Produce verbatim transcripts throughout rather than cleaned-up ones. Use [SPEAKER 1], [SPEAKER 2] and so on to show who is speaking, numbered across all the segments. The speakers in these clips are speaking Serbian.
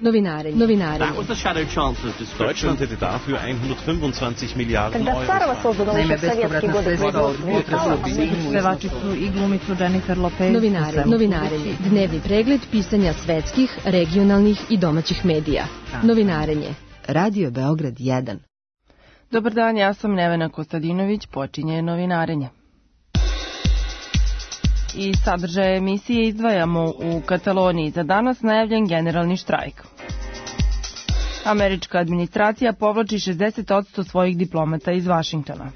[SPEAKER 1] Novinarenje. Novinarenje.
[SPEAKER 2] That was the shadow chancellor's description.
[SPEAKER 3] Deutschland hätte dafür hundertfünfundzwanzig Milliarden Euro.
[SPEAKER 4] Naime, bespovratna sredstva od pevačicu i glumicu Jennifer Lopez.
[SPEAKER 1] Novinarenje. Novinarenje. Dnevni pregled pisanja svetskih, regionalnih i domaćih medija. Novinarenje.
[SPEAKER 5] Radio Beograd jedan.
[SPEAKER 6] Dobar dan, ja sam Nevena Kostadinović, počinje Novinarenje. I sadržaje emisije izdvajamo u Kataloniji za danas najavljen generalni štrajk. Američka administracija povlači šezdeset posto svojih diplomata iz Vašingtona.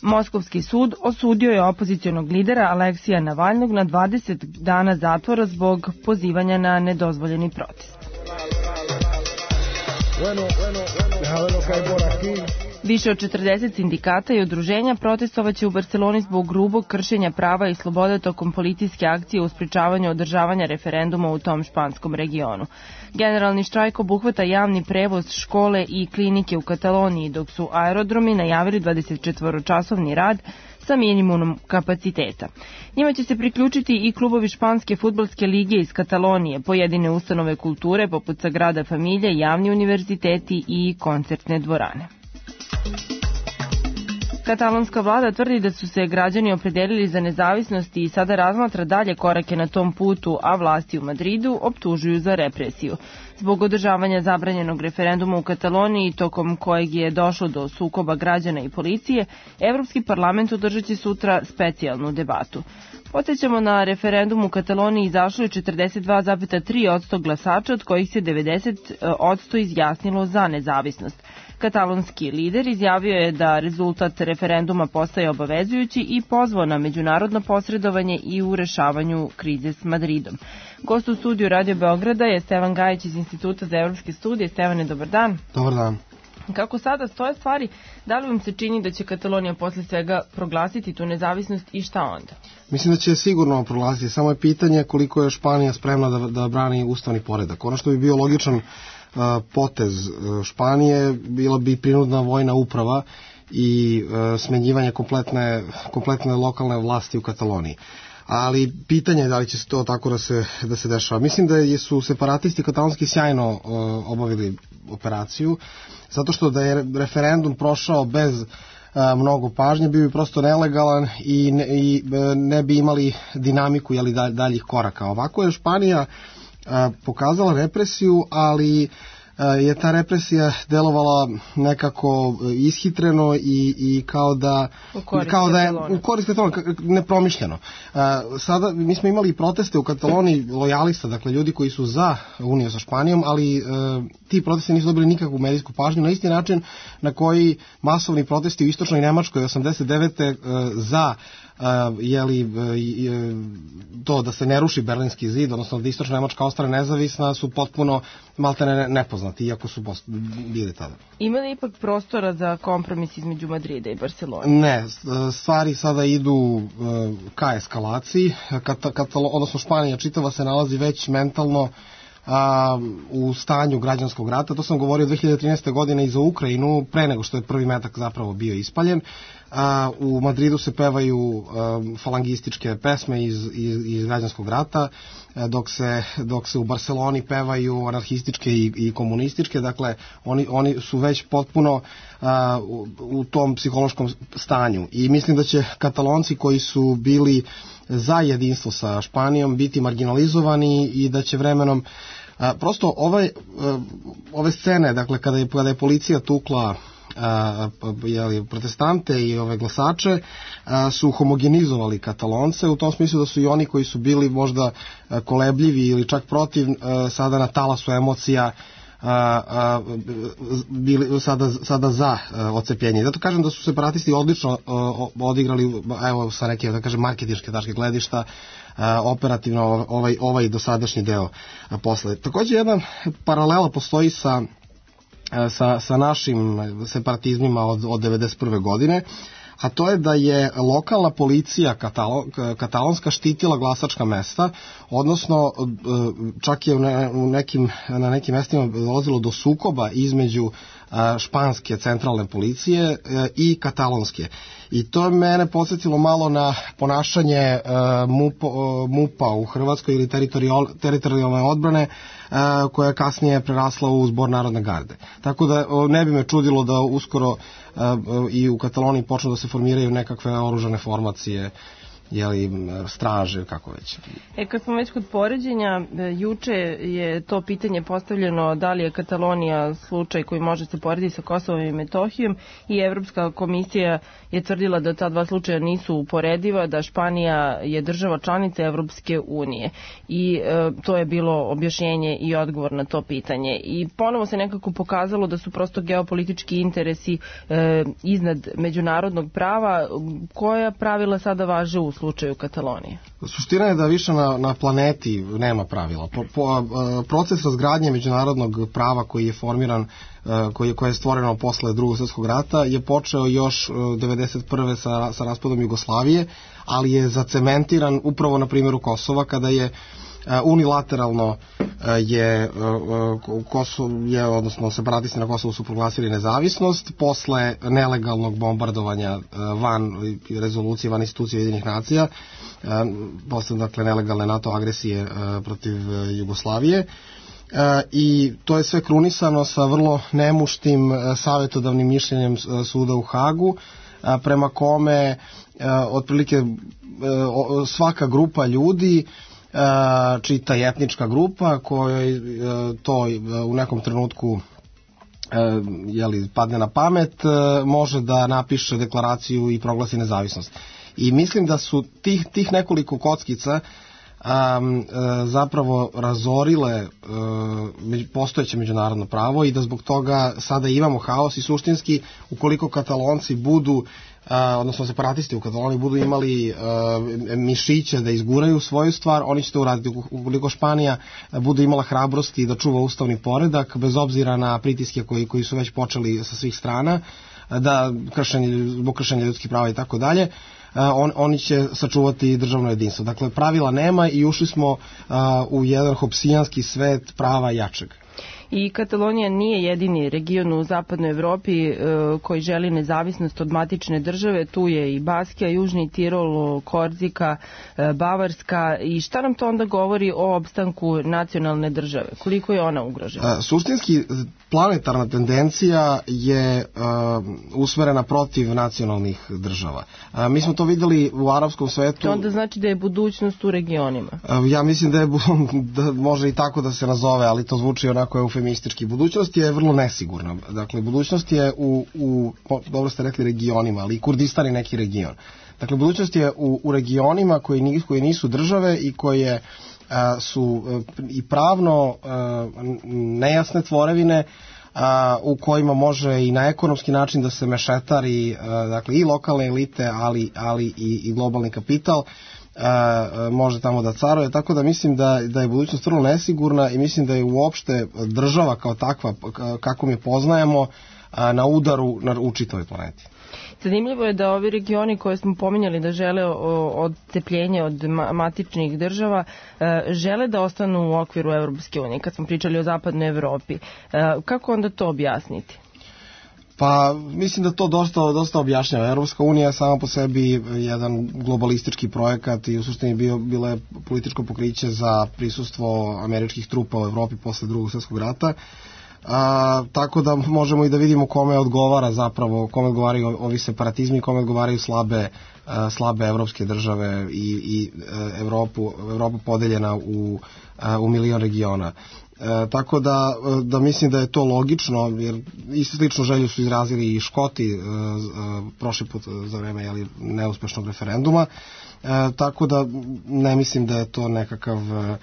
[SPEAKER 6] Moskovski sud osudio je opozicionog lidera Aleksija Navalnog na dvadeset dana zatvora zbog pozivanja na nedozvoljeni protest. Više od četrdeset sindikata i udruženja protestovaće u Barseloni zbog grubog kršenja prava i slobode tokom policijske akcije u sprečavanju održavanja referenduma u tom španskom regionu. Generalni štrajk obuhvata javni prevoz, škole i klinike u Kataloniji, dok su aerodromi najavili dvadesetčetvoročasovni rad sa minimumom kapaciteta. Njima će se priključiti i klubovi španske fudbalske lige iz Katalonije, pojedine ustanove kulture poput Sagrada Familije, javni univerziteti i koncertne dvorane. Katalonska vlada tvrdi da su se građani opredelili za nezavisnost i sada razmatra dalje korake na tom putu, a vlasti u Madridu optužuju za represiju. Zbog održavanja zabranjenog referenduma u Kataloniji, tokom kojeg je došlo do sukoba građana i policije, Evropski parlament održat će sutra specijalnu debatu. Podsjećamo, na referendum u Kataloniji izašlo je četrdeset dva zarez tri posto glasača, od kojih se devedeset posto izjasnilo za nezavisnost. Katalonski lider izjavio je da rezultat referenduma postaje obavezujući i pozvao na međunarodno posredovanje i u rešavanju krize s Madridom. Gost u studiju Radio Beograda je Stevan Gajić iz Instituta za evropske studije. Stevane, dobar dan.
[SPEAKER 7] Dobar dan.
[SPEAKER 6] Kako sada stoje stvari, da li vam se čini da će Katalonija posle svega proglasiti tu nezavisnost i šta onda?
[SPEAKER 7] Mislim da će sigurno proglasiti, samo je pitanje koliko je Španija spremna da, da brani ustavni poredak. Ono što bi bio logičan uh, potez Španije bila bi prinudna vojna uprava i uh, smenjivanje kompletne, kompletne lokalne vlasti u Kataloniji. Ali pitanje je da li će se to tako da se, da se dešava. Mislim da su separatisti katalonski sjajno uh, obavili operaciju, zato što da je referendum prošao bez uh, mnogo pažnje, bio bi prosto nelegalan i ne, i, uh, ne bi imali dinamiku jeli, daljih koraka. Ovako je Španija uh, pokazala represiju, ali je ta represija delovala nekako ishitreno i, i kao da kao da je u korist Katalonije, nepromišljeno. Sada mi smo imali proteste u Kataloniji lojalista, dakle ljudi koji su za uniju sa Španijom, ali ti protesti nisu dobili nikakvu medijsku pažnju, na isti način na koji masovni protesti u istočnoj Nemačkoj osamdeset devete za Uh, jeli, uh, to da se ne ruši Berlinski zid, odnosno da istočna Nemačka ostane nezavisna, su potpuno maltene nepoznati, iako su bili tada.
[SPEAKER 6] Ima li ipak prostora za kompromis između Madrida i Barcelone?
[SPEAKER 7] Ne, stvari sada idu uh, ka eskalaciji, Kata, Katalo, odnosno Španija čitava se nalazi već mentalno a, u stanju građanskog rata. To sam govorio dve hiljade trinaeste. godine i za Ukrajinu, pre nego što je prvi metak zapravo bio ispaljen. A, u Madridu se pevaju a, falangističke pesme iz, iz, iz građanskog rata, a, dok, se, dok se u Barceloni pevaju anarhističke i, i komunističke. Dakle, oni, oni su već potpuno a, u, u tom psihološkom stanju. I mislim da će Katalonci koji su bili za jedinstvo sa Španijom biti marginalizovani i da će vremenom a, prosto ove, a, ove scene, dakle kada je, kada je policija tukla a, jeli, protestante i ove glasače, a, su homogenizovali Katalonce u tom smislu da su i oni koji su bili možda a, kolebljivi ili čak protiv a, sada na talasu emocija A, a, bili sada, sada za a, odcepljenje. Zato kažem da su separatisti odlično a, odigrali, evo sa neke, da kažem, marketinške tačke gledišta, a, operativno ovaj, ovaj dosadašnji deo a, posle. Takođe jedna paralela postoji sa, a, sa, sa našim separatizmima od, od devedeset prve. godine, a to je da je lokalna policija Katalo, katalonska štitila glasačka mesta, odnosno čak je u nekim, na nekim mestima dolazilo do sukoba između španske centralne policije i katalonske. I to je mene podsjetilo malo na ponašanje MUP-a u Hrvatskoj ili teritorijalne odbrane, koja je kasnije prerasla u Zbor Narodne garde. Tako da ne bi me čudilo da uskoro i u Kataloniji počnu da se formiraju nekakve oružane formacije, jeli, straže, kako već.
[SPEAKER 6] E, kad smo već kod poređenja, juče je to pitanje postavljeno da li je Katalonija slučaj koji može se porediti sa Kosovom i Metohijom i Evropska komisija je tvrdila da ta dva slučaja nisu uporediva, da Španija je država članica Evropske unije i e, to je bilo objašnjenje i odgovor na to pitanje. I ponovo se nekako pokazalo da su prosto geopolitički interesi e, iznad međunarodnog prava. Koja pravila sada važe u slučaju Katalonije?
[SPEAKER 7] Suština je da više na, na planeti nema pravila. Po, po, proces razgradnje međunarodnog prava koji je formiran, koji je, koji je stvoreno posle Drugog svjetskog rata je počeo još devedeset prve sa, sa raspadom Jugoslavije, ali je zacementiran upravo na primjeru Kosova, kada je unilateralno je Kosovo, je, odnosno separatisti na Kosovu su proglasili nezavisnost posle nelegalnog bombardovanja van rezolucije, van institucije Ujedinjenih nacija, posle dakle nelegalne NATO agresije protiv Jugoslavije. I to je sve krunisano sa vrlo nemuštim savjetodavnim mišljenjem suda u Hagu, prema kome otprilike svaka grupa ljudi, čita je etnička grupa kojoj to u nekom trenutku jeli, padne na pamet, može da napiše deklaraciju i proglasi nezavisnost. I mislim da su tih, tih nekoliko kockica um, zapravo razorile uh, postojeće međunarodno pravo i da zbog toga sada imamo haos i suštinski ukoliko Katalonci budu Uh, odnosno separatisti u Kataloniji budu imali uh, mišiće da izguraju svoju stvar, oni će to uraditi. Ukoliko Španija bude imala hrabrosti da čuva ustavni poredak, bez obzira na pritiske koji, koji su već počeli sa svih strana, da kršenje, zbog kršenja ljudskih prava i tako dalje, on, oni će sačuvati državno jedinstvo. Dakle, pravila nema i ušli smo uh, u jedan hopsijanski svet prava jačeg.
[SPEAKER 6] I Katalonija nije jedini region u zapadnoj Evropi e, koji želi nezavisnost od matične države. Tu je i Baskija, Južni Tirol, Korzika, e, Bavarska. I šta nam to onda govori o opstanku nacionalne države? Koliko je ona ugrožena?
[SPEAKER 7] Suštinski, planetarna tendencija je e, usmerena protiv nacionalnih država. E, mi smo to videli u arapskom svetu.
[SPEAKER 6] To onda znači da je budućnost u regionima?
[SPEAKER 7] E, ja mislim da je da može i tako da se nazove, ali to zvuči onako eufemistički. Budućnost je vrlo nesigurna. Dakle, budućnost je u, u dobro ste rekli regionima, ali i Kurdistan je neki region. Dakle, budućnost je u, u regionima koji nisu, koji nisu države i koje a, su a, i pravno a, nejasne tvorevine, a, u kojima može i na ekonomski način da se mešetari, a, dakle, i lokalne elite, ali, ali i, i globalni kapital, a, može tamo da caruje, tako da mislim da, da je budućnost vrlo nesigurna i mislim da je uopšte država kao takva, kako mi poznajemo, a, na udaru na, u čitavoj planeti.
[SPEAKER 6] Zanimljivo je da ovi regioni koje smo pominjali da žele odcepljenje od matičnih država, žele da ostanu u okviru Evropske unije, kad smo pričali o zapadnoj Evropi. Kako onda to objasniti?
[SPEAKER 7] Pa mislim da to dosta, dosta objašnjava. Evropska unija je sama po sebi jedan globalistički projekat i u suštini bio, bilo je političko pokriće za prisustvo američkih trupa u Evropi posle Drugog svjetskog rata. A, tako da možemo i da vidimo kome odgovara zapravo, kome odgovaraju ovi separatizmi, kome odgovaraju slabe, a, slabe evropske države i, i a, Evropu, Evropu podeljena u, a, u milion regiona. E, tako da, da mislim da je to logično, jer isto slično želju su izrazili i Škoti e, e, prošli put za vreme jeli, neuspešnog referenduma, e, tako da ne mislim da je to nekakav, e,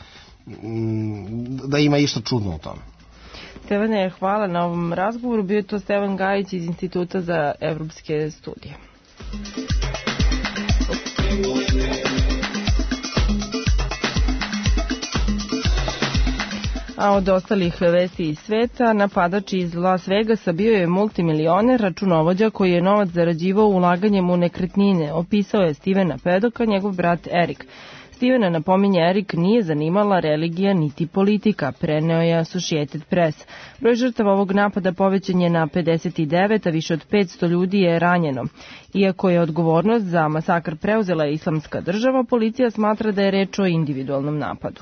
[SPEAKER 7] da ima išta čudno u tome.
[SPEAKER 6] Stevane, hvala na ovom razgovoru. Bio je to Stevan Gajić iz Instituta za evropske studije. A od ostalih vesti iz sveta, napadač iz Las Vegasa bio je multimilioner, računovođa koji je novac zarađivao ulaganjem u nekretnine, opisao je Stevena Pedoka, njegov brat Erik. Stevena, napominje Erik, nije zanimala religija niti politika, preneo je Associated Press. Broj žrtava ovog napada povećan je na pedeset devet, a više od petsto ljudi je ranjeno. Iako je odgovornost za masakr preuzela Islamska država, policija smatra da je reč o individualnom napadu.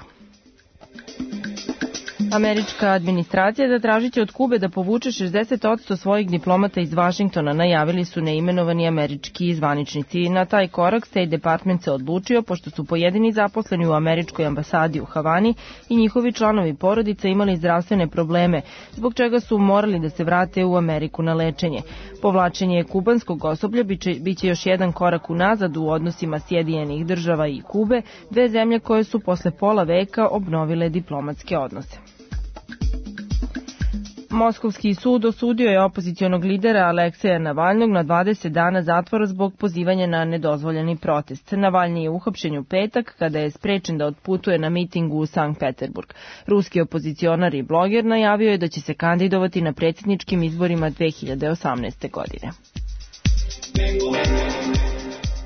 [SPEAKER 6] Američka administracija zatražit će od Kube da povuče šezdeset posto svojih diplomata iz Vašingtona, najavili su neimenovani američki zvaničnici. Na taj korak State Department se odlučio, pošto su pojedini zaposleni u američkoj ambasadi u Havani i njihovi članovi porodica imali zdravstvene probleme, zbog čega su morali da se vrate u Ameriku na lečenje. Povlačenje kubanskog osoblja biće, biće još jedan korak unazad u odnosima Sjedinjenih država i Kube, dve zemlje koje su posle pola veka obnovile diplomatske odnose. Moskovski sud osudio je opozicionog lidera Alekseja Navalnog na dvadeset dana zatvora zbog pozivanja na nedozvoljeni protest. Navalnji je uhapšen u petak kada je sprečen da otputuje na miting u Sankt Peterburg. Ruski opozicionar i bloger najavio je da će se kandidovati na predsjedničkim izborima dve hiljade osamnaeste. godine.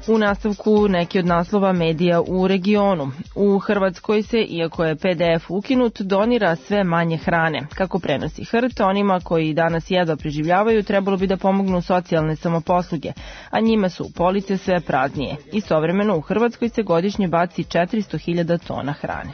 [SPEAKER 6] U nastavku neki od naslova medija u regionu. U Hrvatskoj se, iako je pe de ef ukinut, donira sve manje hrane. Kako prenosi H R T, onima koji danas jedva preživljavaju trebalo bi da pomognu socijalne samoposluge, a njima su police sve praznije. Istovremeno u Hrvatskoj se godišnje baci četiristo hiljada tona hrane.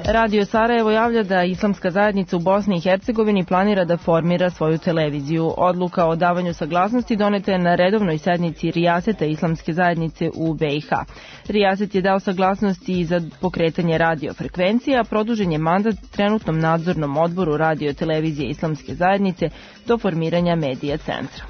[SPEAKER 6] Radio Sarajevo javlja da Islamska zajednica u Bosni i Hercegovini planira da formira svoju televiziju. Odluka o davanju saglasnosti doneta je na redovnoj sednici Rijaseta Islamske zajednice u be i ha. Rijaset je dao saglasnosti za pokretanje radiofrekvencije, a produžen je mandat trenutnom nadzornom odboru Radio televizije Islamske zajednice do formiranja medija centra.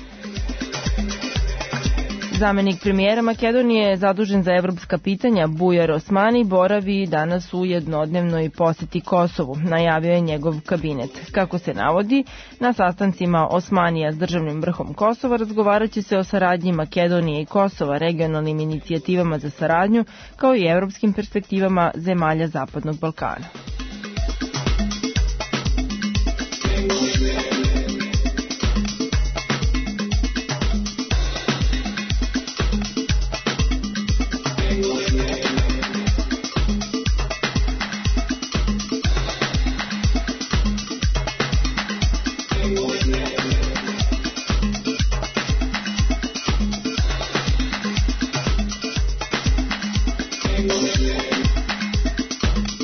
[SPEAKER 6] Zamenik premijera Makedonije, zadužen za evropska pitanja, Bujar Osmani, boravi danas u jednodnevnoj poseti Kosovu, najavio je njegov kabinet. Kako se navodi, na sastancima Osmanija s državnim vrhom Kosova razgovarat će se o saradnji Makedonije i Kosova, regionalnim inicijativama za saradnju, kao i evropskim perspektivama zemalja Zapadnog Balkana.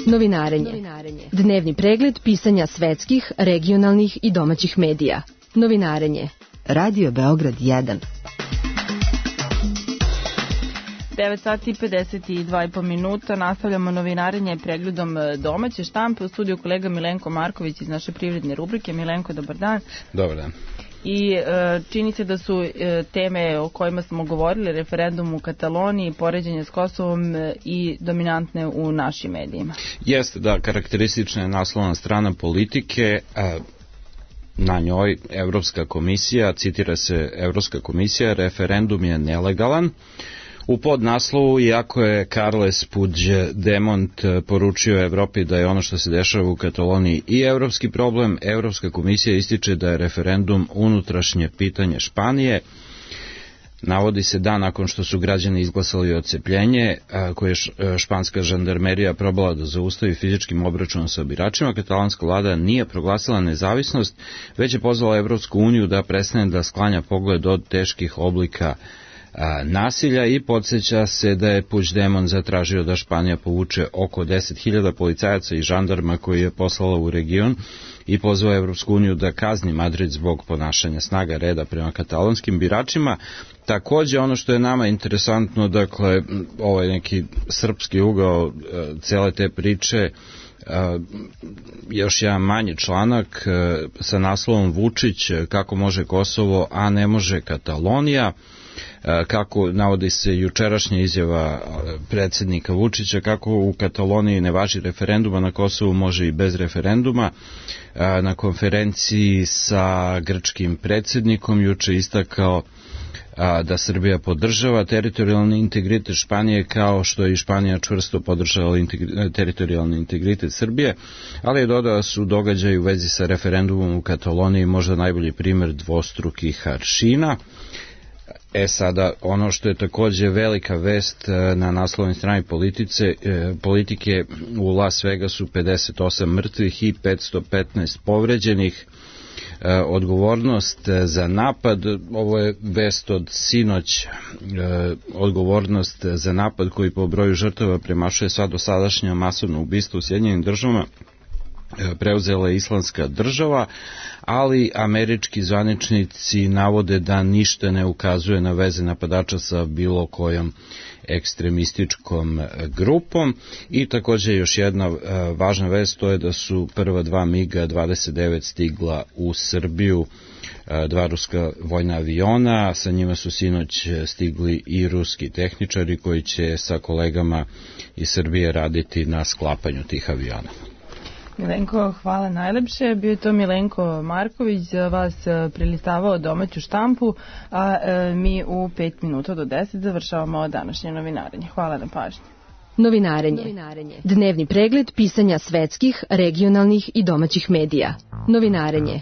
[SPEAKER 1] Novinarenje. Dnevni pregled pisanja svetskih, regionalnih i domaćih medija. Novinarenje.
[SPEAKER 5] Radio Beograd jedan.
[SPEAKER 6] devet sati i pedeset dva i po minuta. Nastavljamo novinarenje pregledom domaće štampe. U studiju kolega Milenko Marković iz naše privredne rubrike. Milenko, dobar dan.
[SPEAKER 2] Dobar dan.
[SPEAKER 6] I e, čini se da su e, teme o kojima smo govorili, referendum u Kataloniji, poređenje s Kosovom e, i dominantne u našim medijima.
[SPEAKER 2] Jeste, da, karakteristična je naslovna strana Politike, a na njoj Evropska komisija, citira se Evropska komisija, referendum je nelegalan. U podnaslovu, iako je Carles Puigdemont poručio Evropi da je ono što se dešava u Kataloniji i evropski problem, Evropska komisija ističe da je referendum unutrašnje pitanje Španije. Navodi se da nakon što su građani izglasali odcepljenje, koje je španska žandarmerija probala da zaustavi fizičkim obračunom sa biračima, katalanska vlada nije proglasila nezavisnost, već je pozvala Evropsku uniju da prestane da sklanja pogled od teških oblika nasilja i podsjeća se da je Puigdemont zatražio da Španija povuče oko deset hiljada policajaca i žandarma koji je poslala u region i pozvao Evropsku uniju da kazni Madrid zbog ponašanja snaga reda prema katalonskim biračima. Takođe, ono što je nama interesantno, dakle, ovaj neki srpski ugao cele te priče, još jedan manji članak sa naslovom Vučić, kako može Kosovo, a ne može Katalonija. Kako navodi se jučerašnja izjava predsjednika Vučića, kako u Kataloniji ne važi referenduma, na Kosovu može i bez referenduma. Na konferenciji sa grčkim predsjednikom juče istakao da Srbija podržava teritorijalni integritet Španije, kao što je i Španija čvrsto podržala integri, teritorijalni integritet Srbije, ali je dodao da su događaji u vezi sa referendumom u Kataloniji možda najbolji primjer dvostrukih aršina. E sada, ono što je takođe velika vest na naslovnoj strani politice, politike, u Las Vegasu pedeset osam mrtvih i petsto petnaest povređenih. Odgovornost za napad, ovo je vest od sinoć, odgovornost za napad koji po broju žrtava premašuje sva dosadašnja masovna ubistva u Sjedinjenim državama, preuzela je Islamska država, ali američki zvaničnici navode da ništa ne ukazuje na veze napadača sa bilo kojom ekstremističkom grupom. I takođe još jedna važna vest, to je da su prva dva MiG dvadeset devet stigla u Srbiju, dva ruska vojna aviona, sa njima su sinoć stigli i ruski tehničari koji će sa kolegama iz Srbije raditi na sklapanju tih aviona.
[SPEAKER 6] Milenko, hvala najlepše. Bio je to Milenko Marković, za vas prelistavao domaću štampu, a mi u pet minuta do deset završavamo današnje novinarenje. Hvala na pažnji.
[SPEAKER 1] Novinarenje. Dnevni pregled pisanja svetskih, regionalnih i domaćih medija. Novinarenje.